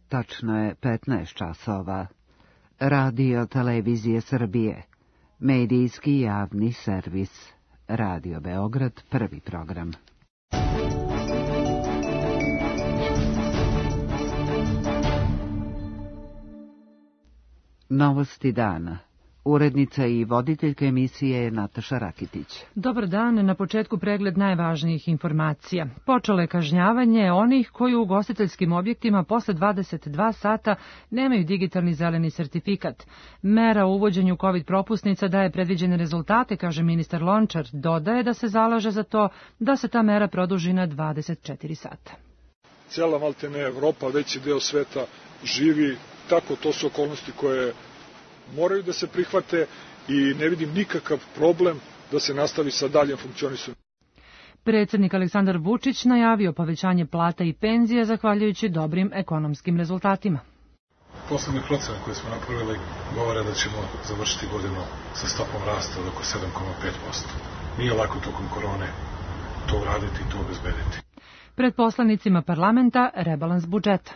Tačno je 15 časova. Radio Televizije Srbije. Medijski javni servis. Radio Beograd, prvi program. Novosti dana. Urednica i voditeljka emisije je Nataša Rakitić. Dobar dan, na početku pregled najvažnijih informacija. Počelo je kažnjavanje onih koji u ugostiteljskim objektima posle 22 sata nemaju digitalni zeleni sertifikat. Mera u uvođenju COVID propusnica daje predviđene rezultate, kaže ministar Lončar. Dodaje da se zalaže za to da se ta mera produži na 24 sata. Cijela maltene Evropa, veći deo sveta živi tako, to su okolnosti koje moraju da se prihvate i ne vidim nikakav problem da se nastavi sa daljem funkcionisanjem. Predsjednik Aleksandar Vučić najavio povećanje plata i penzija zahvaljujući dobrim ekonomskim rezultatima. Poslednje procene koje smo napravili govore da ćemo završiti godinu sa stopom rasta od oko 7,5%. Nije lako tokom korone to uraditi i to obezbediti. Pred poslanicima parlamenta rebalans budžeta.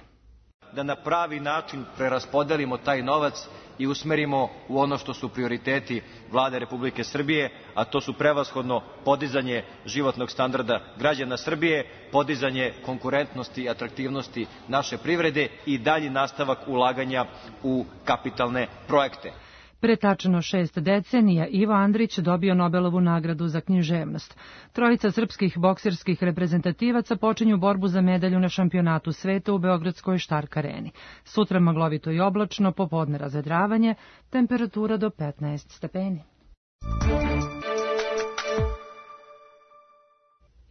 Da na pravi način preraspodelimo taj novac i usmerimo u ono što su prioriteti Vlade Republike Srbije, a to su prevashodno podizanje životnog standarda građana Srbije, podizanje konkurentnosti i atraktivnosti naše privrede i dalji nastavak ulaganja u kapitalne projekte. Pre tačno 6 decenija Ivo Andrić dobio Nobelovu nagradu za književnost. Trojica srpskih bokserskih reprezentativaca počinju borbu za medalju na šampionatu sveta u beogradskoj Štark areni. Sutra maglovito i oblačno, popodne razvedravanje, temperatura do 15 stepeni.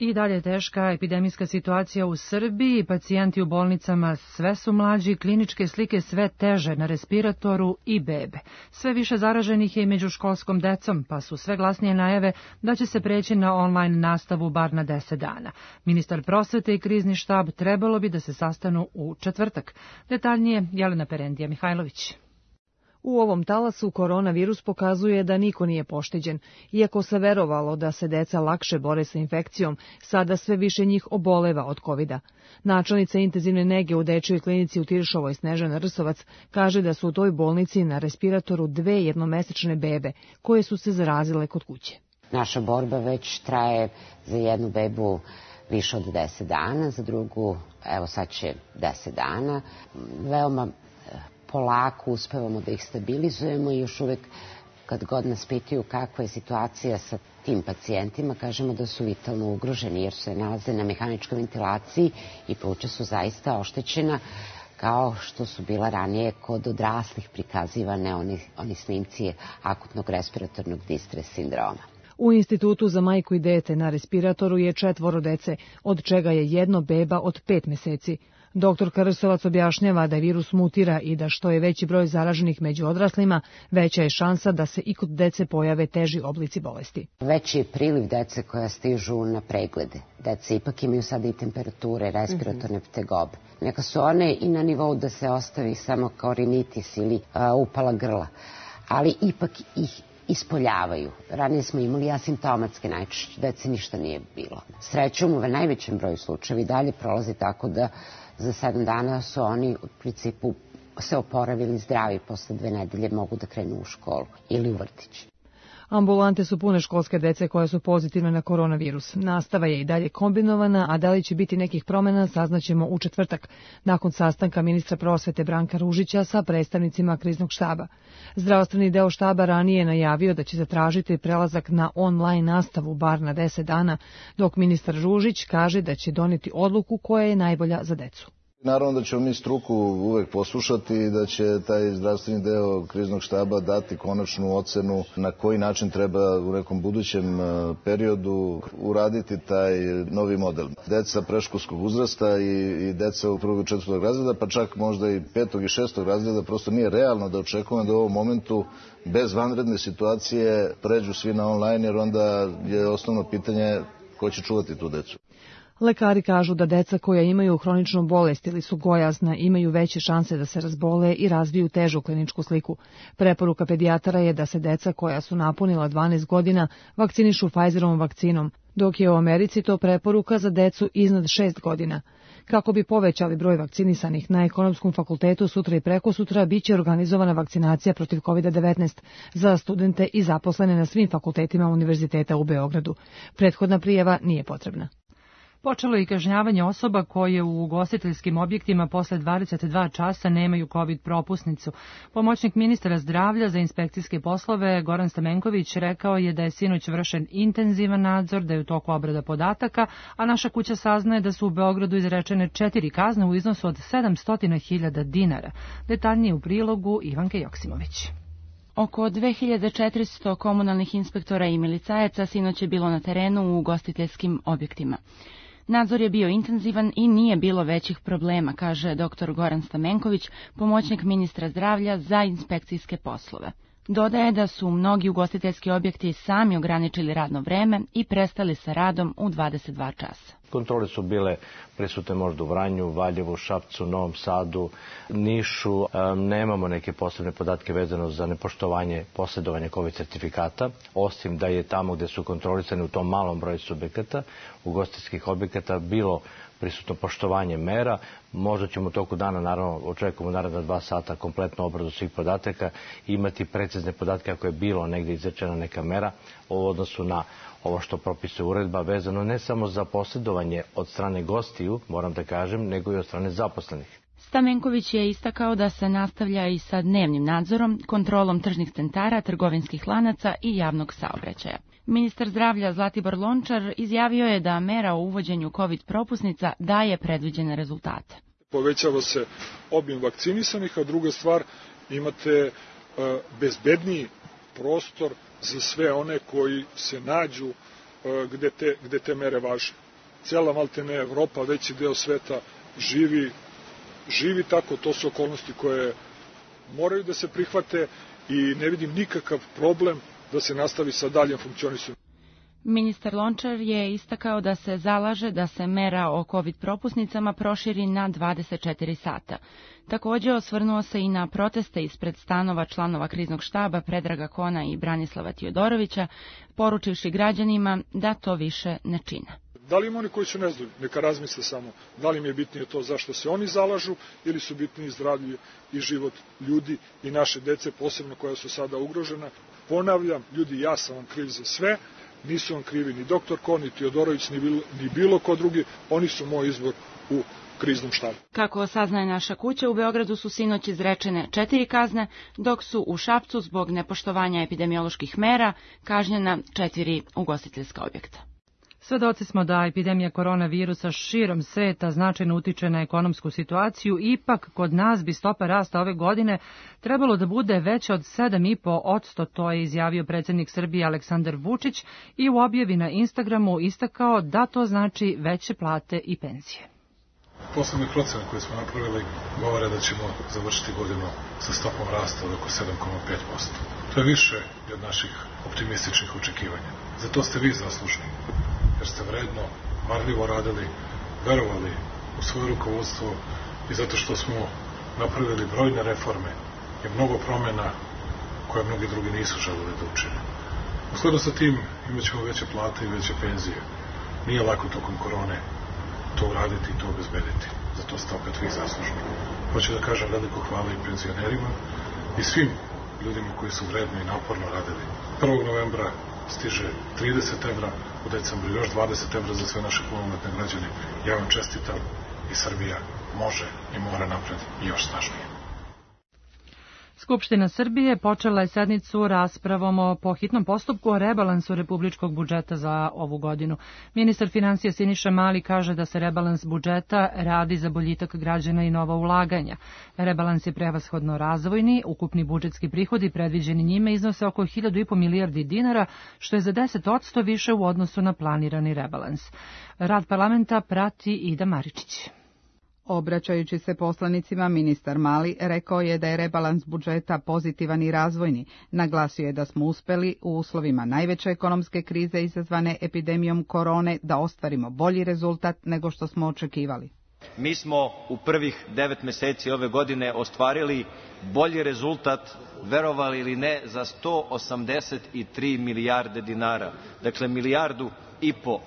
I dalje je teška epidemijska situacija u Srbiji, pacijenti u bolnicama sve su mlađi, kliničke slike sve teže na respiratoru i bebe. Sve više zaraženih je i među školskom decom, pa su sve glasnije najave da će se preći na online nastavu bar na 10 dana. Ministar prosvete i krizni štab trebalo bi da se sastanu u četvrtak. Detaljnije Jelena Perendija Mihajlović. U ovom talasu koronavirus pokazuje da niko nije pošteđen. Iako se verovalo da se deca lakše bore sa infekcijom, sada sve više njih oboleva od covida. Načelnica intenzivne nege u dečjoj klinici u Tiršovoj Snežana Rsovac kaže da su u toj bolnici na respiratoru 2 jednomesečne bebe koje su se zarazile kod kuće. Naša borba već traje za jednu bebu više od 10 dana, za drugu, evo sad će 10 dana. Veoma polako uspevamo da ih stabilizujemo i još uvek kad god nas pitaju kakva je situacija sa tim pacijentima, kažemo da su vitalno ugroženi jer se nalaze na mehaničkoj ventilaciji i pluća su zaista oštećena kao što su bila ranije kod odraslih prikazivane oni snimci akutnog respiratornog distres sindroma. U Institutu za majku i dete na respiratoru je 4 dece, od čega je jedno beba od 5 meseci. Dr. Rsovac objašnjava da virus mutira i da što je veći broj zaraženih među odraslima, veća je šansa da se i kod dece pojave teži oblici bolesti. Veći je priliv dece koja stižu na preglede. Dece ipak imaju sada i temperature, respiratorne tegobe. Neka su one i na nivou da se ostavi samo kao rinitis ili upala grla, ali ipak ih ispoljavaju. Ranije smo imali asimptomatske, najčešće dece ništa nije bilo. Srećom, u najvećem broju slučajeva i dalje prolazi tako da za 7 dana su oni u principu se oporavili zdravi, posle 2 nedelje mogu da krenu u školu ili u vrtić. Ambulante su pune školske dece koja su pozitivne na koronavirus. Nastava je i dalje kombinovana, a da li će biti nekih promena saznaćemo u četvrtak, nakon sastanka ministra prosvete Branka Ružića sa predstavnicima kriznog štaba. Zdravstveni deo štaba ranije je najavio da će zatražiti prelazak na online nastavu bar na 10 dana, dok ministar Ružić kaže da će doneti odluku koja je najbolja za decu. Naravno da ćemo mi struku uvek poslušati i da će taj zdravstveni deo kriznog štaba dati konačnu ocenu na koji način treba u nekom budućem periodu uraditi taj novi model. Deca predškolskog uzrasta i deca 1. i 4. razreda, pa čak možda i 5. i 6. razreda, prosto nije realno da očekujemo da u ovom momentu bez vanredne situacije pređu svi na online, jer onda je osnovno pitanje ko će čuvati tu decu. Lekari kažu da deca koja imaju hroničnu bolest ili su gojazna imaju veće šanse da se razbole i razviju težu kliničku sliku. Preporuka pedijatara je da se deca koja su napunila 12 godina vakcinišu Pfizerovom vakcinom, dok je u Americi to preporuka za decu iznad 6 godina. Kako bi povećali broj vakcinisanih, na Ekonomskom fakultetu sutra i prekosutra biće organizovana vakcinacija protiv COVID-19 za studente i zaposlene na svim fakultetima Univerziteta u Beogradu. Prethodna prijava nije potrebna. Počelo je i kažnjavanje osoba koje u ugostiteljskim objektima posle 22 časa nemaju COVID propusnicu. Pomoćnik ministra zdravlja za inspekcijske poslove Goran Stamenković rekao je da je sinoć vršen intenzivan nadzor, da je u toku obrada podataka, a naša kuća saznaje da su u Beogradu izrečene 4 kazne u iznosu od 700.000 dinara. Detaljnije u prilogu Ivanke Joksimović. Oko 2400 komunalnih inspektora i milicajaca sinoć je bilo na terenu u ugostiteljskim objektima. Nadzor je bio intenzivan i nije bilo većih problema, kaže dr. Goran Stamenković, pomoćnik ministra zdravlja za inspekcijske poslove. Dodaje da su mnogi ugostiteljski objekti sami ograničili radno vreme i prestali sa radom u 22 časa. Kontrole su bile prisutne možda u Vranju, Valjevu, Šapcu, Novom Sadu, Nišu. Nemamo neke posebne podatke vezano za nepoštovanje posjedovanja COVID sertifikata, osim da je tamo gde su kontrolisani u tom malom broju subjekata, ugostiteljskih objekata, bilo prisutno poštovanje mera. Možda ćemo u toku dana, naravno, očekujemo naredna 2 sata kompletnu obradu svih podataka i imati precizne podatke ako je bilo negdje izrečena neka mera u odnosu na ovo što propisuje uredba, vezano ne samo za posjedovanje od strane gostiju, moram da kažem, nego i od strane zaposlenih. Stamenković je istakao da se nastavlja i sa dnevnim nadzorom, kontrolom tržnih centara, trgovinskih lanaca i javnog saobraćaja. Ministar zdravlja Zlatibor Lončar izjavio je da mera o uvođenju COVID propusnica daje predviđene rezultate. Povećava se obim vakcinisanih, a druga stvar, imate bezbedniji prostor za sve one koji se nađu gde te mere važe. Cela maltene Evropa, veći deo sveta živi tako, to su okolnosti koje moraju da se prihvate i ne vidim nikakav problem da se nastavi sa daljem funkcionisanjem. Ministar Lončar je istakao da se zalaže da se mera o COVID propusnicama proširi na 24 sata. Također osvrnuo se i na proteste ispred stanova članova kriznog štaba Predraga Kona i Branislava Tijodorovića, poručivši građanima da to više ne čine. Da li ima oni koji su nezadovoljni? Neka razmisle samo da li im je bitnije to zašto se oni zalažu ili su bitniji zdravlje i život ljudi i naše dece, posebno koja su sada ugrožena. Ponavljam, ljudi, ja sam vam kriv za sve, nisu vam krivi ni doktor Kon, ni Tijodorović, ni bilo ko drugi, oni su moj izbor u kriznom štabu. Kako saznaje naša kuća, u Beogradu su sinoć izrečene 4 kazne, dok su u Šapcu zbog nepoštovanja epidemioloških mera kažnjena 4 ugostiteljska objekta. Svedoci smo da epidemija koronavirusa širom sveta značajno utiče na ekonomsku situaciju, ipak kod nas bi stopa rasta ove godine trebalo da bude veća od 7,5%, to je izjavio predsjednik Srbije Aleksandar Vučić i u objavi na Instagramu istakao da to znači veće plate i penzije. Poslednje procene koje smo napravili govore da ćemo završiti godinu sa stopom rasta od oko 7,5%. To je više od naših optimističnih očekivanja. Za to ste vi zaslužni, jer ste vredno, marljivo radili, verovali u svoje rukovodstvo i zato što smo napravili brojne reforme i mnogo promjena koje mnogi drugi nisu želeli da učine. U skladu sa tim imat ćemo veće plate i veće penzije. Nije lako tokom korone to uraditi i to obezbediti. Zato ste opet vi zaslužni. Hoću da kažem veliko hvala i penzionerima i svim ljudima koji su vredno i naporno radili. 1. novembra stiže 30 evra, u decembru još 20 evra za sve naše punoletne građane. Ja vam čestitam i Srbija može i mora napred i još snažnije. Skupština Srbije počela je sednicu raspravom po hitnom postupku o rebalansu republičkog budžeta za ovu godinu. Ministar finansija Siniša Mali kaže da se rebalans budžeta radi za boljitak građana i nova ulaganja. Rebalans je prevashodno razvojni, ukupni budžetski prihodi predviđeni njime iznose oko 1.500 milijardi dinara, što je za 10% više u odnosu na planirani rebalans. Rad parlamenta prati Ida Maričić. Obraćajući se poslanicima, ministar Mali rekao je da je rebalans budžeta pozitivan i razvojni. Naglasio je da smo uspeli u uslovima najveće ekonomske krize izazvane epidemijom korone da ostvarimo bolji rezultat nego što smo očekivali. mi smo u prvih 9 meseci ove godine ostvarili bolji rezultat, verovali ili ne, za 183 milijarde dinara. Dakle, 1,5 milijardu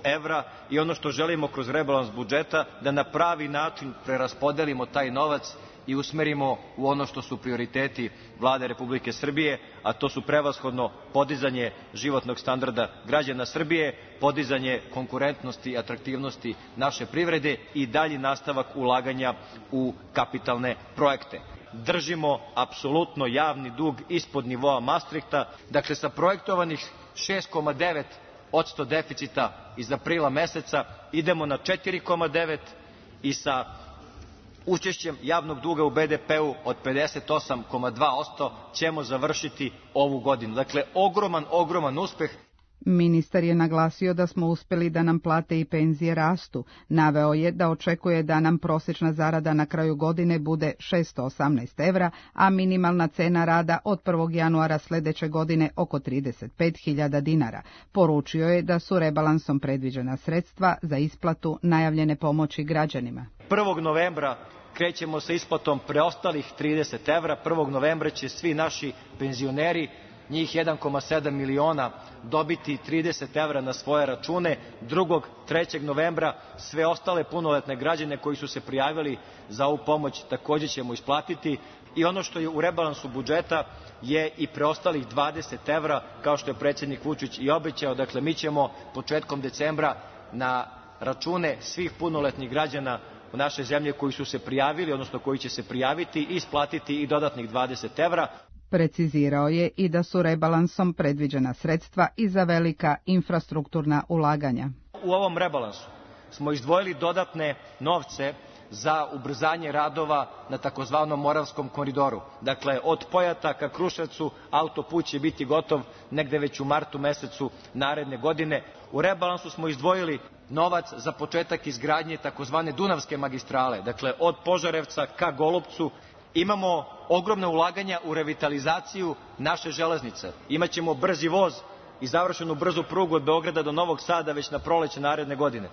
evra, i ono što želimo kroz rebalans budžeta, da na pravi način preraspodelimo taj novac i usmerimo u ono što su prioriteti Vlade Republike Srbije, a to su prevashodno podizanje životnog standarda građana Srbije, podizanje konkurentnosti i atraktivnosti naše privrede i dalji nastavak ulaganja u kapitalne projekte. Držimo apsolutno javni dug ispod nivoa Mastrihta, dakle sa projektovanih 6,9% deficita iz aprila meseca idemo na 4,9% i sa učešćem javnog duga u BDP-u od 58,2% ćemo završiti ovu godinu. Dakle, ogroman uspeh. Ministar je naglasio da smo uspeli da nam plate i penzije rastu. Naveo je da očekuje da nam prosječna zarada na kraju godine bude 618 evra, a minimalna cena rada od 1. januara sledeće godine oko 35.000 dinara. Poručio je da su rebalansom predviđena sredstva za isplatu najavljene pomoći građanima. 1. novembra krećemo sa isplatom preostalih 30 evra. 1. novembra će svi naši penzioneri, njih 1,7 miliona, dobiti 30 evra na svoje račune. 2. 3. novembra sve ostale punoletne građane koji su se prijavili za ovu pomoć takođe ćemo isplatiti. I ono što je u rebalansu budžeta je i preostalih 20 evra, kao što je predsjednik Vučić i obećao. Dakle, mi ćemo početkom decembra na račune svih punoletnih građana u našoj zemlji koji su se prijavili, odnosno koji će se prijaviti, isplatiti i dodatnih 20 evra. Precizirao je i da su rebalansom predviđena sredstva i za velika infrastrukturna ulaganja. U ovom rebalansu smo izdvojili dodatne novce za ubrzanje radova na takozvanom Moravskom koridoru. Dakle, od Pojata ka Kruševcu autoput će biti gotov negde već u martu mesecu naredne godine. U rebalansu smo izdvojili novac za početak izgradnje takozvane Dunavske magistrale, dakle od Požarevca ka Golupcu. Imamo ogromna ulaganja u revitalizaciju naše železnice. Imaćemo brzi voz i završenu brzu prugu od Beograda do Novog Sada već na proleće naredne godine.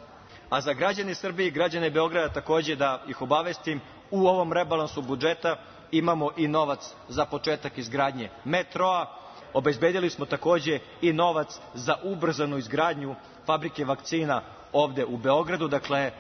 A za građane Srbije i građane Beograda takođe da ih obavestim, u ovom rebalansu budžeta imamo i novac za početak izgradnje metroa. Obezbedili smo takođe i novac za ubrzanu izgradnju fabrike vakcina ovde u Beogradu. Dakle,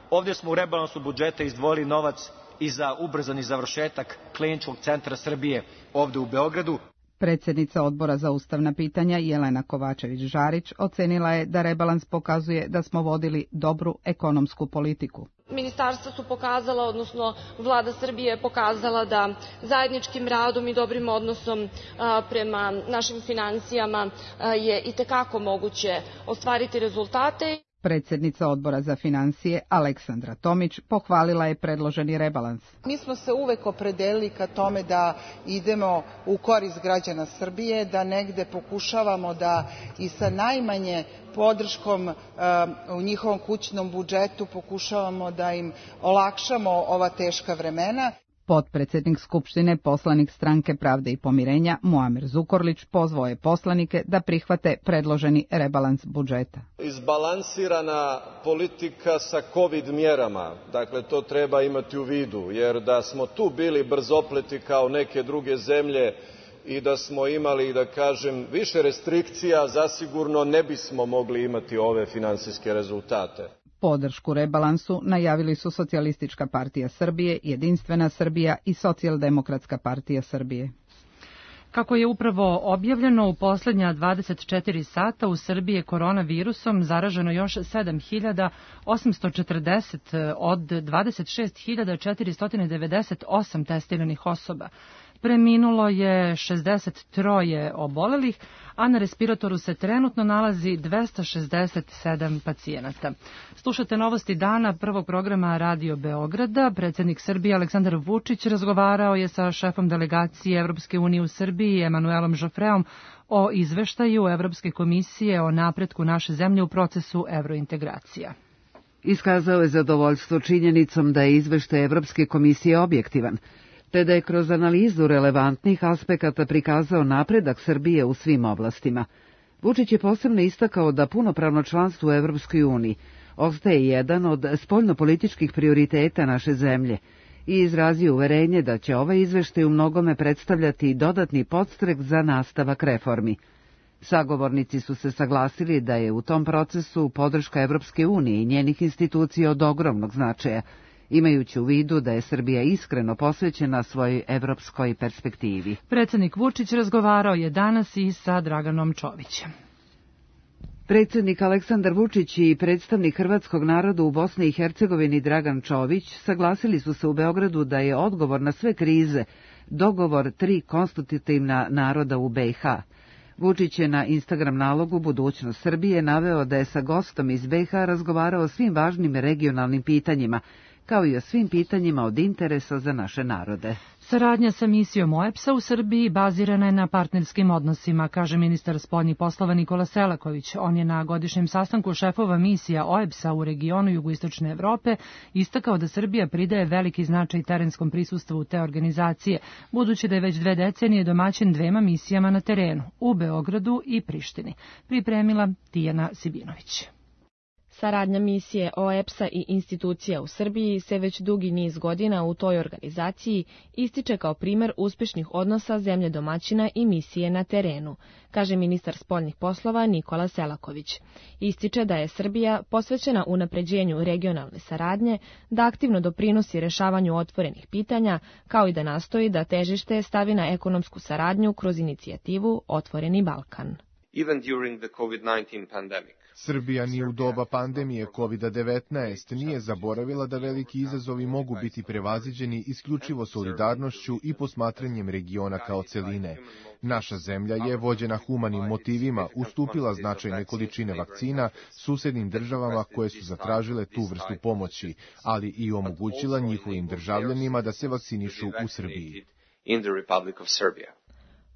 ovde smo u rebalansu budžeta izdvojili novac i za ubrzani završetak Kliničkog centra Srbije ovde u Beogradu. Predsjednica Odbora za ustavna pitanja Jelena Kovačević-Žarić ocenila je da rebalans pokazuje da smo vodili dobru ekonomsku politiku. Ministarstva su pokazala, odnosno Vlada Srbije je pokazala da zajedničkim radom i dobrim odnosom prema našim finansijama je itekako moguće ostvariti rezultate. Predsjednica Odbora za finansije Aleksandra Tomić pohvalila je predloženi rebalans. Mi smo se uvek opredelili ka tome da idemo u korist građana Srbije, da negde pokušavamo da i sa najmanje podrškom u njihovom kućnom budžetu pokušavamo da im olakšamo ova teška vremena. Potpredsednik Skupštine, poslanik Stranke Pravde i pomirenja Muamer Zukorlić pozvao je poslanike da prihvate predloženi rebalans budžeta. Izbalansirana politika sa COVID mjerama, dakle to treba imati u vidu, jer da smo tu bili brzopleti kao neke druge zemlje i da smo imali, da kažem, više restrikcija, zasigurno ne bismo mogli imati ove finansijske rezultate. Podršku rebalansu najavili su Socijalistička partija Srbije, Jedinstvena Srbija i Socijaldemokratska partija Srbije. Kako je upravo objavljeno, u poslednja 24 sata u Srbiji je koronavirusom zaraženo još 7.840 od 26.498 testiranih osoba. Preminulo je 63 obolelih, a na respiratoru se trenutno nalazi 267 pacijenata. Slušate novosti dana prvog programa Radio Beograda. Predsjednik Srbije Aleksandar Vučić razgovarao je sa šefom delegacije Evropske unije u Srbiji Emanuelom Žofreom o izveštaju Evropske komisije o napretku naše zemlje u procesu evrointegracija. Iskazao je zadovoljstvo činjenicom da je izveštaj Evropske komisije objektivan, te da je kroz analizu relevantnih aspekata prikazao napredak Srbije u svim oblastima. Vučić je posebno istakao da punopravno članstvo u Evropskoj uniji ostaje jedan od spoljnopolitičkih prioriteta naše zemlje i izrazio uverenje da će ovaj izveštaj u mnogome predstavljati dodatni podstrek za nastavak reformi. Sagovornici su se saglasili da je u tom procesu podrška Evropske unije i njenih institucija od ogromnog značaja, imajući u vidu da je Srbija iskreno posvećena svojoj evropskoj perspektivi. Predsednik Vučić razgovarao je danas i sa Draganom Čovićem. Predsednik Aleksandar Vučić i predstavnik hrvatskog naroda u Bosni i Hercegovini Dragan Čović saglasili su se u Beogradu da je odgovor na sve krize dogovor 3 konstitutivna naroda u BiH. Vučić je na Instagram nalogu Budućnost Srbije naveo da je sa gostom iz BiH razgovarao o svim važnim regionalnim pitanjima, kao i o svim pitanjima od interesa za naše narode. Saradnja sa misijom OEBS-a u Srbiji bazirana je na partnerskim odnosima, kaže ministar spoljnih poslova Nikola Selaković. On je na godišnjem sastanku šefova misija OEBS-a u regionu jugoistočne Evrope istakao da Srbija pridaje veliki značaj terenskom prisustvu te organizacije, budući da je već 2 decenije domaćin 2 misijama na terenu, u Beogradu i Prištini. Pripremila Tijana Sibinović. Saradnja misije OEBS-a i institucija u Srbiji se već dugi niz godina u toj organizaciji ističe kao primer uspešnih odnosa zemlje domaćina i misije na terenu, kaže ministar spoljnih poslova Nikola Selaković. Ističe da je Srbija posvećena unapređenju regionalne saradnje, da aktivno doprinosi rešavanju otvorenih pitanja, kao i da nastoji da težište stavi na ekonomsku saradnju kroz inicijativu Otvoreni Balkan. Even during the COVID-19 pandemic. Srbija ni u doba pandemije COVID-19 nije zaboravila da veliki izazovi mogu biti prevaziđeni isključivo solidarnošću i posmatranjem regiona kao celine. Naša zemlja je, vođena humanim motivima, ustupila značajne količine vakcina susednim državama koje su zatražile tu vrstu pomoći, ali i omogućila njihovim državljanima da se vakcinišu u Srbiji.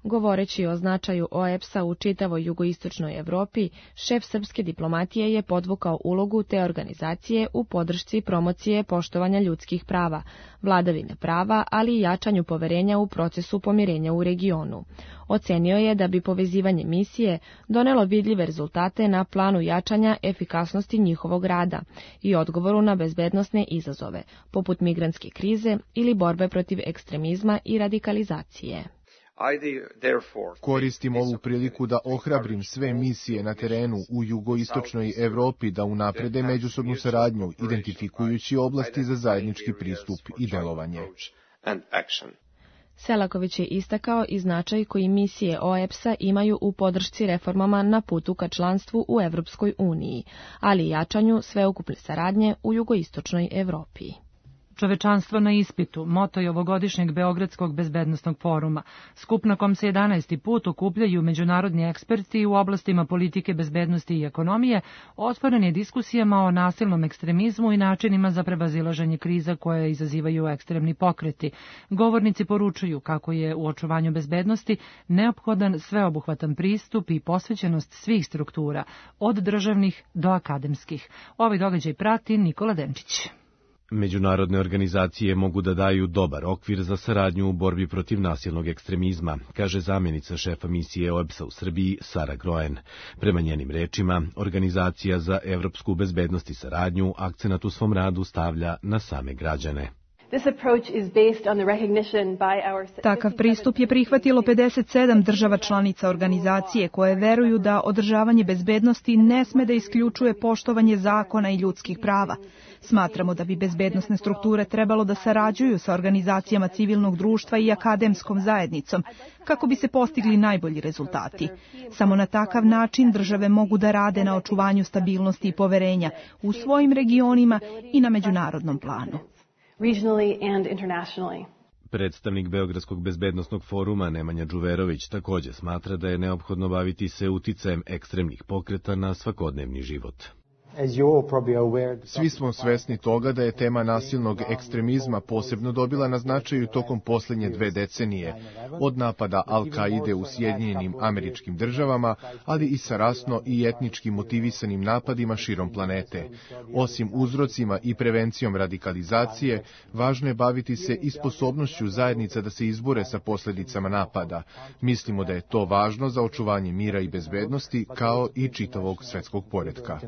Govoreći o značaju OEBS-a u čitavoj jugoistočnoj Evropi, šef srpske diplomatije je podvukao ulogu te organizacije u podršci promocije poštovanja ljudskih prava, vladavine prava, ali i jačanju poverenja u procesu pomirenja u regionu. Ocenio je da bi povezivanje misije donelo vidljive rezultate na planu jačanja efikasnosti njihovog rada i odgovoru na bezbednosne izazove, poput migrantske krize ili borbe protiv ekstremizma i radikalizacije. Koristim ovu priliku da ohrabrim sve misije na terenu u jugoistočnoj Evropi da unaprede međusobnu saradnju, identifikujući oblasti za zajednički pristup i delovanje. Selaković je istakao i značaj koji misije OEBS-a imaju u podršci reformama na putu ka članstvu u Evropskoj uniji, ali i jačanju sveukupne saradnje u jugoistočnoj Evropi. Čovečanstvo na ispitu, moto je ovogodišnjeg Beogradskog bezbednosnog foruma. Skup na kom se 11. put okupljaju međunarodni eksperti u oblastima politike, bezbednosti i ekonomije, otvoren je diskusijama o nasilnom ekstremizmu i načinima za prevazilaženje kriza koje izazivaju ekstremni pokreti. Govornici poručuju kako je u očuvanju bezbednosti neophodan sveobuhvatan pristup i posvećenost svih struktura, od državnih do akademskih. Ovaj događaj prati Nikola Denčić. Međunarodne organizacije mogu da daju dobar okvir za saradnju u borbi protiv nasilnog ekstremizma, kaže zamjenica šefa misije OEBS-a u Srbiji Sara Groen. Prema njenim rečima, Organizacija za evropsku bezbednost i saradnju akcenat u svom radu stavlja na same građane. Takav pristup je prihvatilo 57 država članica organizacije koje veruju da održavanje bezbednosti ne sme da isključuje poštovanje zakona i ljudskih prava. Smatramo da bi bezbednosne strukture trebalo da sarađuju sa organizacijama civilnog društva i akademskom zajednicom kako bi se postigli najbolji rezultati. Samo na takav način države mogu da rade na očuvanju stabilnosti i poverenja u svojim regionima i na međunarodnom planu. Predstavnik Beogradskog bezbednosnog foruma Nemanja Đuverović također smatra da je neophodno baviti se uticajem ekstremnih pokreta na svakodnevni život. Svi smo svesni toga da je tema nasilnog ekstremizma posebno dobila na značaju tokom posljednje 2 decenije, od napada Al-Kaide u Sjedinjenim Američkim Državama, ali i sa rasno i etnički motivisanim napadima širom planete. Osim uzrocima i prevencijom radikalizacije, važno je baviti se i sposobnošću zajednica da se izbore sa posljedicama napada. Mislimo da je to važno za očuvanje mira i bezbednosti, kao i čitavog svetskog poretka.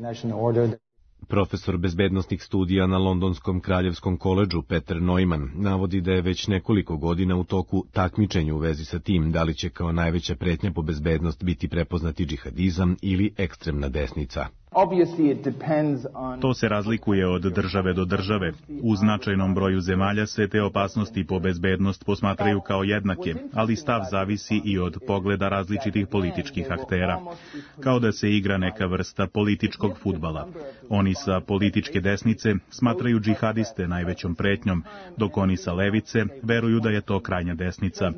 Profesor bezbednosnih studija na Londonskom kraljevskom koledžu Peter Neumann navodi da je već nekoliko godina u toku takmičenje u vezi sa tim da li će kao najveća pretnja po bezbednost biti prepoznati džihadizam ili ekstremna desnica. To se razlikuje od države do države. U značajnom broju zemalja se te opasnosti po bezbednost posmatraju kao jednake, ali stav zavisi i od pogleda različitih političkih aktera. Kao da se igra neka vrsta političkog fudbala. Oni sa političke desnice smatraju džihadiste najvećom pretnjom, dok oni sa levice veruju da je to krajnja desnica.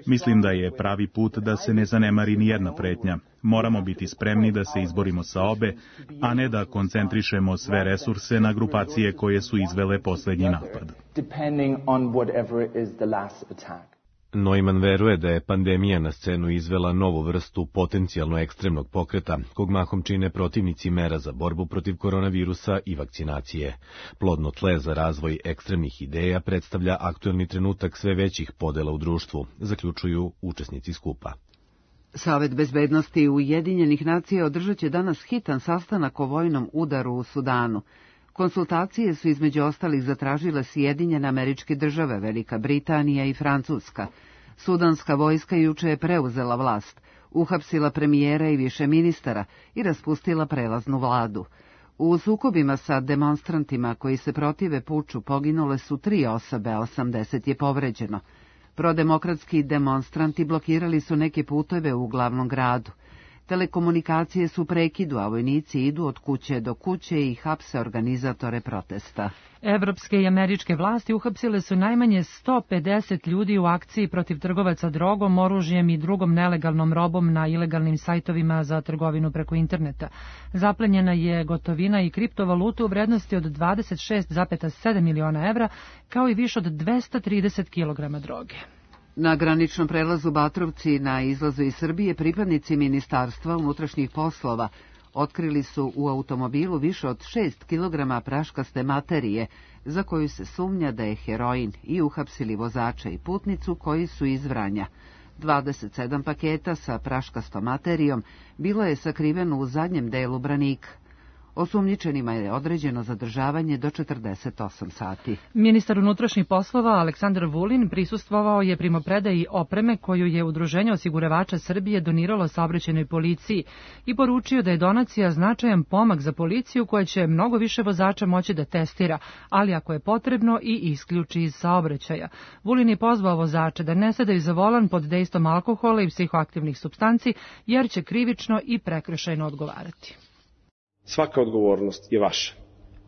Mislim da je pravi put da se ne zanemari ni jedna pretnja. Moramo biti spremni da se izborimo sa obe, a ne da koncentrišemo sve resurse na grupacije koje su izvele poslednji napad. Neumann veruje da je pandemija na scenu izvela novu vrstu potencijalno ekstremnog pokreta, kog mahom čine protivnici mera za borbu protiv koronavirusa i vakcinacije. Plodno tle za razvoj ekstremnih ideja predstavlja aktuelni trenutak sve većih podela u društvu, zaključuju učesnici skupa. Savet bezbednosti Ujedinjenih nacija održat će danas hitan sastanak o vojnom udaru u Sudanu. Konsultacije su između ostalih zatražile Sjedinjene Američke Države, Velika Britanija i Francuska. Sudanska vojska juče je preuzela vlast, uhapsila premijera i više ministara i raspustila prelaznu vladu. U sukobima sa demonstrantima koji se protive puču poginule su 3 osobe, a 80 je povređeno. Prodemokratski demonstranti blokirali su neke puteve u glavnom gradu. Telekomunikacije su prekidu, a vojnici idu od kuće do kuće i hapse organizatore protesta. Evropske i američke vlasti uhapsile su najmanje 150 ljudi u akciji protiv trgovaca drogom, oružjem i drugom nelegalnom robom na ilegalnim sajtovima za trgovinu preko interneta. Zaplenjena je gotovina i kriptovaluta u vrednosti od 26,7 miliona evra, kao i više od 230 kilograma droge. Na graničnom prelazu Batrovci na izlazu iz Srbije pripadnici Ministarstva unutrašnjih poslova otkrili su u automobilu više od 6 kilograma praškaste materije za koju se sumnja da je heroin i uhapsili vozača i putnicu koji su iz Vranja. 27 paketa sa praškastom materijom bilo je sakriveno u zadnjem delu branika. Osumnjičenima je određeno zadržavanje do 48 sati. Ministar unutrašnjih poslova Aleksandar Vulin prisustvovao je primopredaji opreme koju je Udruženje osiguravača Srbije doniralo saobraćajnoj policiji i poručio da je donacija značajan pomak za policiju koja će mnogo više vozača moći da testira, ali ako je potrebno i isključi iz saobraćaja. Vulin je pozvao vozače da ne sedaju za volan pod dejstvom alkohola i psihoaktivnih supstanci, jer će krivično i prekršajno odgovarati. Svaka odgovornost je vaša.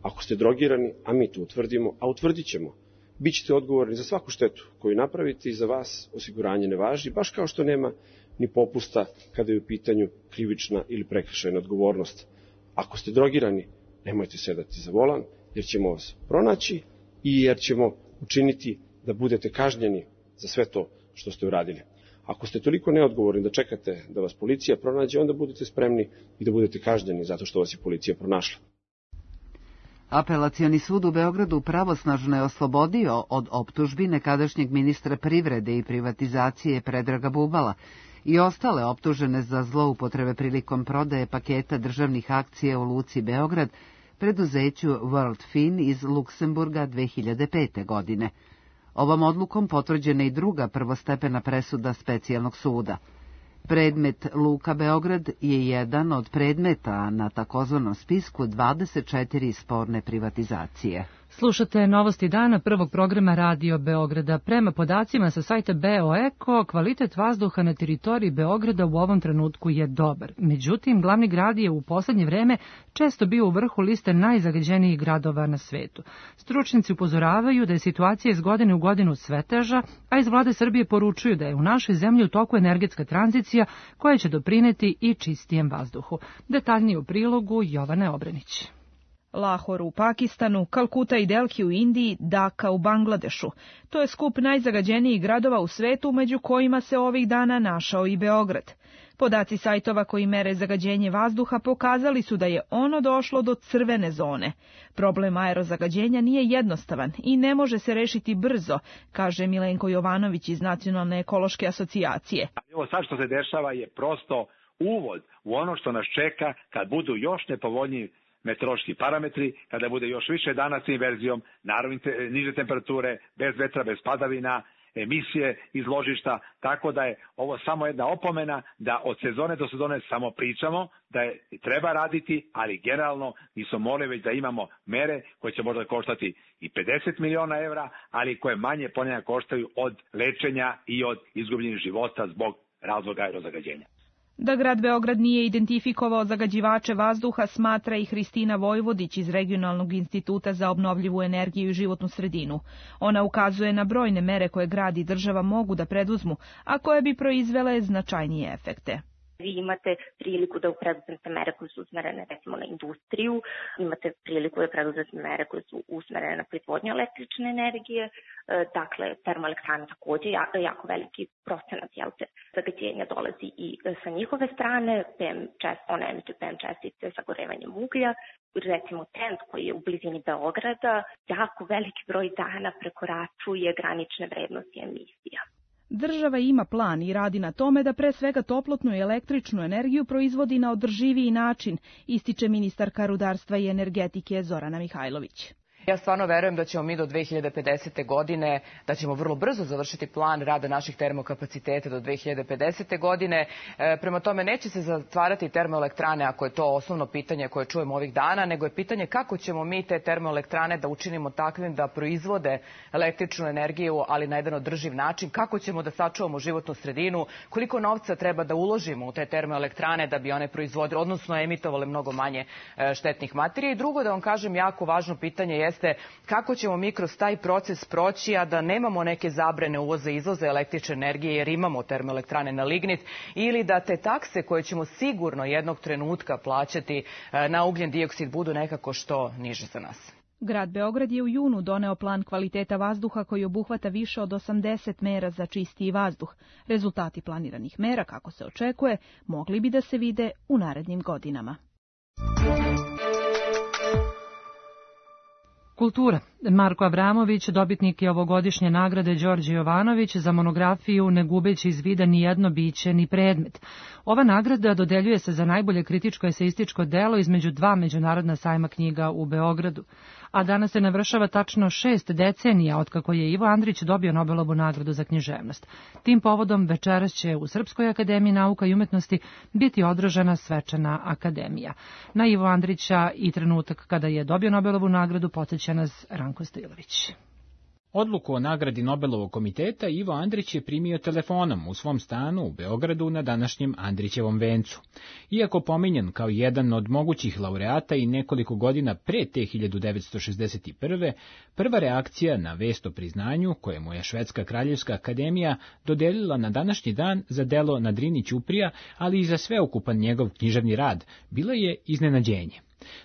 Ako ste drogirani, a mi to utvrdimo, a utvrdit ćemo, bit ćete odgovorni za svaku štetu koju napravite i za vas osiguranje ne važi, baš kao što nema ni popusta kada je u pitanju krivična ili prekršajna odgovornost. Ako ste drogirani, nemojte sedati za volan, jer ćemo vas pronaći i jer ćemo učiniti da budete kažnjeni za sve to što ste uradili. Ako ste toliko neodgovorni da čekate da vas policija pronađe, onda budete spremni i da budete kažnjeni zato što vas je policija pronašla. Apelacioni sud u Beogradu pravosnažno je oslobodio od optužbi nekadašnjeg ministra privrede i privatizacije Predraga Bubala i ostale optužene za zloupotrebe prilikom prodaje paketa državnih akcija u Luci Beograd preduzeću World Fin iz Luksemburga 2005. godine. Ovom odlukom potvrđena i druga prvostepena presuda specijalnog suda. Predmet Luka Beograd je jedan od predmeta na takozvanom spisku 24 sporne privatizacije. Slušate novosti dana prvog programa Radio Beograda. Prema podacima sa sajta BeoEko, kvalitet vazduha na teritoriji Beograda u ovom trenutku je dobar. Međutim, glavni grad je u poslednje vreme često bio u vrhu liste najzagađenijih gradova na svetu. Stručnjaci upozoravaju da je situacija iz godine u godinu sve teža, a iz vlade Srbije poručuju da je u našoj zemlji u toku energetska tranzicija koja će doprineti i čistijem vazduhu. Detaljnije u prilogu Jovane Obrenić. Lahor u Pakistanu, Kalkuta i Delhi u Indiji, Daka u Bangladešu. To je skup najzagađenijih gradova u svetu, među kojima se ovih dana našao i Beograd. Podaci sajtova koji mere zagađenje vazduha pokazali su da je ono došlo do crvene zone. Problem aerozagađenja nije jednostavan i ne može se rešiti brzo, kaže Milenko Jovanović iz Nacionalne ekološke asocijacije. Ovo sad što se dešava je prosto uvod u ono što nas čeka kad budu još nepovoljniji meteorološki parametri, kada bude još više dana sa inverzijom, naravno niže temperature, bez vetra, bez padavina, emisije iz ložišta, tako da je ovo samo jedna opomena da od sezone do sezone samo pričamo, da je treba raditi, ali generalno nismo morali već da imamo mere koje će možda koštati i 50 miliona evra, ali koje manje ponekad koštaju od lečenja i od izgubljenih života zbog razloga aerozagađenja. Da grad Beograd nije identifikovao zagađivače vazduha, smatra i Hristina Vojvodić iz Regionalnog instituta za obnovljivu energiju i životnu sredinu. Ona ukazuje na brojne mere koje grad i država mogu da preduzmu, a koje bi proizvele značajnije efekte. Vi imate priliku da preduzmete mere koje su usmerene recimo na industriju, imate priliku da preduzmete mere koje su usmerene na proizvodnju električne energije, dakle termoelektrane takođe jako veliki procenat zagađenja dolazi i sa njihove strane, one emituju PM čestice sagorevanjem uglja, recimo TENT koji je u blizini Beograda, jako veliki broj dana prekoračuje granične vrednosti emisija. Država ima plan i radi na tome da pre svega toplotnu i električnu energiju proizvodi na održiviji način, ističe ministarka rudarstva i energetike Zorana Mihajlović. Ja stvarno verujem da ćemo mi do 2050. godine, da ćemo vrlo brzo završiti plan rada naših termokapaciteta do 2050. godine. Prema tome neće se zatvarati termoelektrane ako je to osnovno pitanje koje čujemo ovih dana, nego je pitanje kako ćemo mi te termoelektrane da učinimo takvim da proizvode električnu energiju, ali na jedan održiv način, kako ćemo da sačuvamo životnu sredinu, koliko novca treba da uložimo u te termoelektrane da bi one proizvodile, odnosno emitovale mnogo manje štetnih materija. I drugo, da vam kažem, jako važno pitanje jeste kako ćemo mi kroz taj proces proći, a da nemamo neke zabrane uvoza i izvoza električne energije jer imamo termoelektrane na lignit, ili da te takse koje ćemo sigurno jednog trenutka plaćati na ugljen dioksid budu nekako što niže za nas. Grad Beograd je u junu doneo plan kvaliteta vazduha koji obuhvata više od 80 mera za čistiji vazduh. Rezultati planiranih mera, kako se očekuje, mogli bi da se vide u narednim godinama. Kultura. Marko Avramović, dobitnik je ovogodišnje nagrade Đorđe Jovanović za monografiju Ne gubeći iz vida ni jedno biće ni predmet. Ova nagrada dodeljuje se za najbolje kritičko eseističko delo između dva međunarodna sajma knjiga u Beogradu. A danas se navršava tačno 6 decenija otkako je Ivo Andrić dobio Nobelovu nagradu za književnost. Tim povodom večeras će u Srpskoj akademiji nauka i umetnosti biti održana svečana akademija. Na Ivo Andrića i trenutak kada je dobio Nobelovu nagradu podsjeća nas Ranko Stilović. Odluku o nagradi Nobelovog komiteta Ivo Andrić je primio telefonom u svom stanu u Beogradu na današnjem Andrićevom vencu. Iako pominjan kao jedan od mogućih laureata i nekoliko godina pre te 1961. prva reakcija na vest o priznanju, koje mu je Švedska kraljevska akademija dodelila na današnji dan za delo Na Drini ćuprija, ali i za sveukupan njegov književni rad, bila je iznenađenje.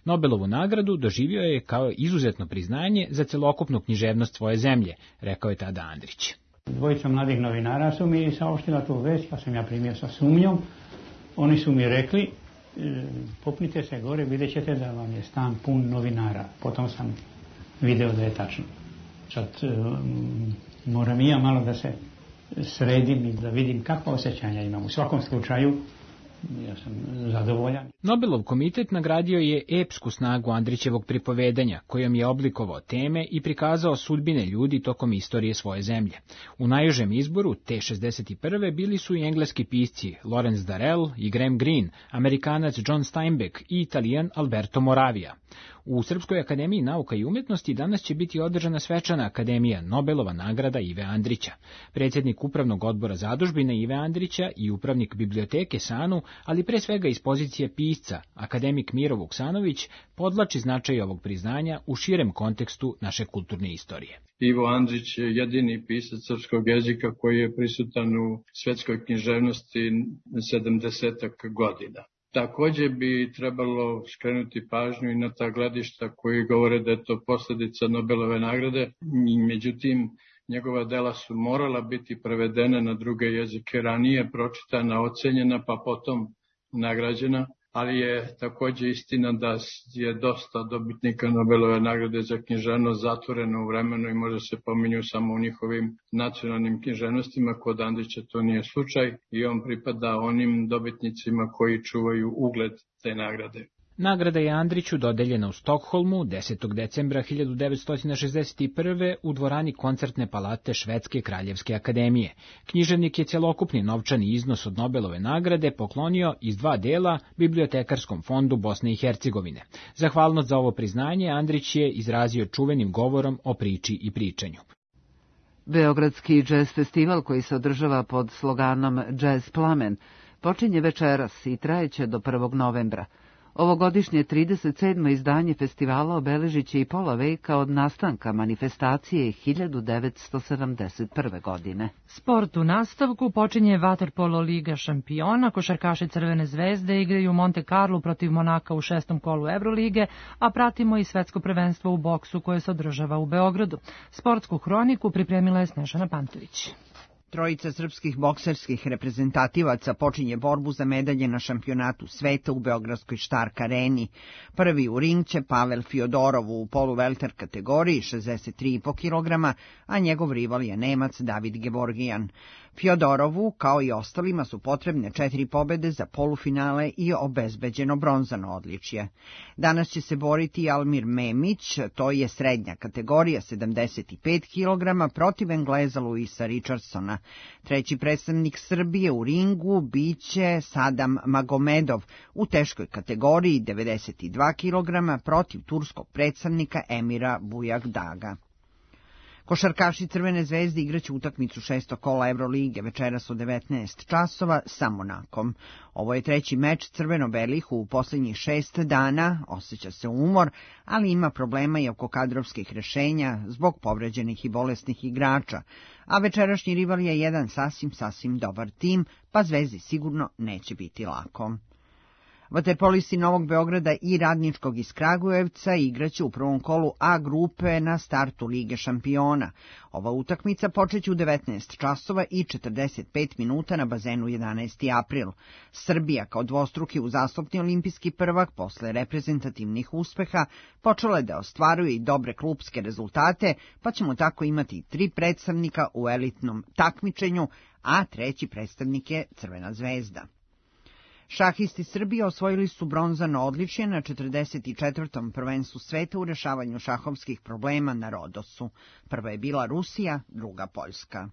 Nobelovu nagradu doživio je kao izuzetno priznanje za celokupnu književnost svoje zemlje, rekao je tada Andrić. Dvojica mladih novinara su mi saopštila tu vest, pa sam ja primio sa sumnjom. Oni su mi rekli, popnite se gore, vidjet ćete da vam je stan pun novinara. Potom sam video da je tačno. Sad moram i ja malo da se sredim i da vidim kakva osjećanja imam. U svakom slučaju, ja sam zadovoljan. Nobelov komitet nagradio je epsku snagu Andrićevog pripovedanja, kojom je oblikovao teme i prikazao sudbine ljudi tokom istorije svoje zemlje. U najužem izboru te 61. bili su i engleski pisci Lawrence Darrell i Graham Greene, Amerikanac John Steinbeck i Italijan Alberto Moravia. U Srpskoj akademiji nauka i umetnosti danas će biti održana svečana akademija Nobelova nagrada Ive Andrića. Predsjednik upravnog odbora zadužbine Ive Andrića i upravnik biblioteke SANU, ali pre svega iz pozicije pisca, akademik Miro Vuksanović, podvlači značaj ovog priznanja u širem kontekstu naše kulturne istorije. Ivo Andrić je jedini pisac srpskog jezika koji je prisutan u svetskoj književnosti 70 godina. Također bi trebalo skrenuti pažnju i na ta gledišta koji govore da je to posljedica Nobelove nagrade. Međutim, njegova dela su morala biti prevedena na druge jezike, ranije pročitana, ocenjena, pa potom nagrađena. Ali je također istina da je dosta dobitnika Nobelove nagrade za književnost zatvoreno u vremenu i možda se pominju samo u njihovim nacionalnim književnostima. Kod Andrića to nije slučaj i on pripada onim dobitnicima koji čuvaju ugled te nagrade. Nagrada je Andriću dodeljena u Stokholmu 10. decembra 1961. u dvorani koncertne palate Švedske kraljevske akademije. Književnik je celokupni novčani iznos od Nobelove nagrade poklonio iz 2 dela Bibliotekarskom fondu Bosne i Hercegovine. Zahvalnost za ovo priznanje Andrić je izrazio čuvenim govorom o priči i pričanju. Beogradski džez festival koji se održava pod sloganom Džez Plamen počinje večeras i trajeće do 1. novembra. Ovogodišnje 37. izdanje festivala obeležit će i pola veka od nastanka manifestacije 1971. godine. Sport u nastavku počinje Vaterpolo Liga šampiona, košarkaši Crvene zvezde igraju u Monte Carlo protiv Monaka u 6. kolu Evrolige, a pratimo i svetsko prvenstvo u boksu koje se održava u Beogradu. Sportsku hroniku pripremila je Snežana Pantović. Trojica srpskih bokserskih reprezentativaca počinje borbu za medalje na šampionatu sveta u Beogradskoj Štark areni. Prvi u ring će Pavel Fjodorov u poluvelter kategoriji 63,5 kg, a njegov rival je Nemac David Gevorgijan. Fjodorovu, kao i ostalima, su potrebne 4 pobede za polufinale i obezbeđeno bronzano odličje. Danas će se boriti Almir Memić, to je srednja kategorija 75 kg, protiv Engleza Luisa Richardsona. Treći predstavnik Srbije u ringu biće Sadam Magomedov u teškoj kategoriji 92 kg protiv turskog predstavnika Emira Bujagdaga. Košarkaši Crvene zvezde igraće utakmicu 6. kola Evrolige večeras u 19 časova sa Monakom. Ovo je treći meč crveno-belih u posljednjih 6 dana, osjeća se umor, ali ima problema i oko kadrovskih rešenja zbog povređenih i bolesnih igrača, a večerašnji rival je jedan sasvim dobar tim, pa Zvezdi sigurno neće biti lako. Vaterpolisti Novog Beograda i Radničkog iz Kragujevca igraće u prvom kolu A grupe na startu Lige šampiona. Ova utakmica počeće u 19 časova i 45 minuta na bazenu 11. april. Srbija, kao dvostruki uzastopni olimpijski prvak posle reprezentativnih uspeha, počela je da ostvaruje i dobre klupske rezultate, pa ćemo tako imati 3 predstavnika u elitnom takmičenju, a treći predstavnik je Crvena zvezda. Šahisti Srbije osvojili su bronzano odličje na 44. prvenstvu sveta u rešavanju šahovskih problema na Rodosu. Prva je bila Rusija, druga Poljska.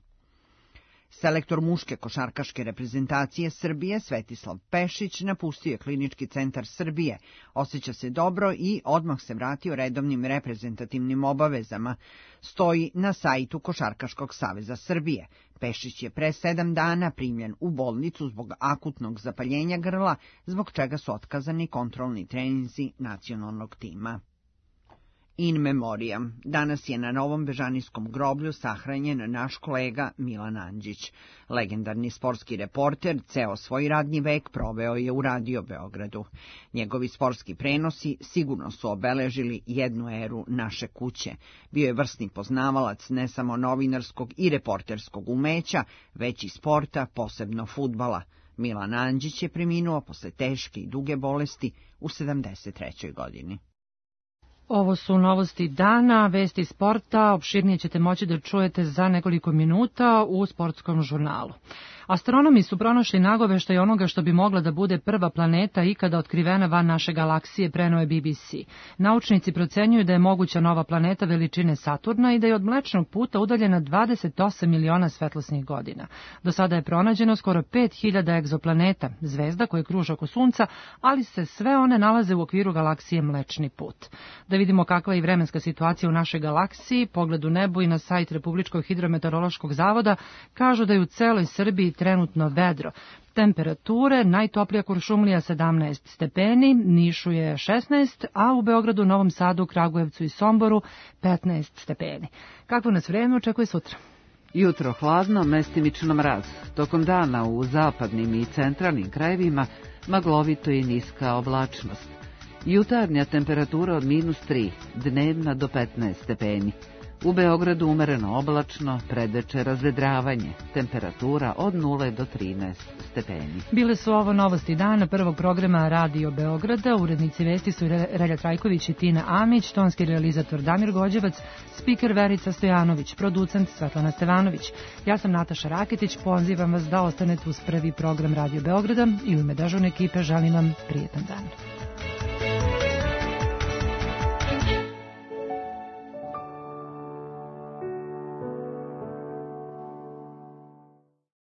Selektor muške košarkaške reprezentacije Srbije Svetislav Pešić napustio je Klinički centar Srbije. Osjeća se dobro i odmah se vratio redovnim reprezentativnim obavezama. Stoji na sajtu Košarkaškog saveza Srbije. Pešić je pre 7 dana primljen u bolnicu zbog akutnog zapaljenja grla, zbog čega su otkazani kontrolni treninzi nacionalnog tima. In memoriam. Danas je na Novom Bežanijskom groblju sahranjen naš kolega Milan Andžić. Legendarni sportski reporter ceo svoj radni vek proveo je u Radio Beogradu. Njegovi sportski prenosi sigurno su obeležili jednu eru naše kuće. Bio je vrsni poznavalac ne samo novinarskog i reporterskog umeća, već i sporta, posebno fudbala. Milan Andžić je preminuo posle teške i duge bolesti u 73. godini. Ovo su novosti dana, vesti sporta, opširnije ćete moći da čujete za nekoliko minuta u sportskom žurnalu. Astronomi su pronašli nagoveštaj onoga što bi mogla da bude prva planeta ikada otkrivena van naše galaksije, preneo je BBC. Naučnici procenjuju da je moguća nova planeta veličine Saturna i da je od Mlečnog puta udaljena 28 miliona svetlosnih godina. Do sada je pronađeno skoro 5000 egzoplaneta, zvezda koje kruže oko Sunca, ali se sve one nalaze u okviru galaksije Mlečni put. Da vidimo kakva je vremenska situacija u našoj galaksiji, pogled u nebo i na sajt Republičkog hidrometeorološkog zavoda kažu da je u celoj Srbiji trenutno vedro. Temperature, najtoplija Kuršumlija 17 stepeni, Nišu je 16, a u Beogradu, Novom Sadu, Kragujevcu i Somboru 15 stepeni. Kakvo nas vreme očekuje sutra? Jutro hladno, mestimično mraz. Tokom dana u zapadnim i centralnim krajevima maglovito i niska oblačnost. Jutarnja temperatura od -3, dnevna do 15 stepeni. U Beogradu umereno oblačno, predeče razvedravanje, temperatura od 0 do 13 stepeni. Bile su ovo novosti dana prvog programa Radio Beograda. Urednici vesti su Relja Trajković i Tina Amić, tonski realizator Damir Gođevac, spiker Verica Stojanović, producent Svetlana Stevanović. Ja sam Nataša Raketić, pozivam vas da ostanete uz prvi program Radio Beograda i u ime dežurne ekipe želim vam prijetan dan.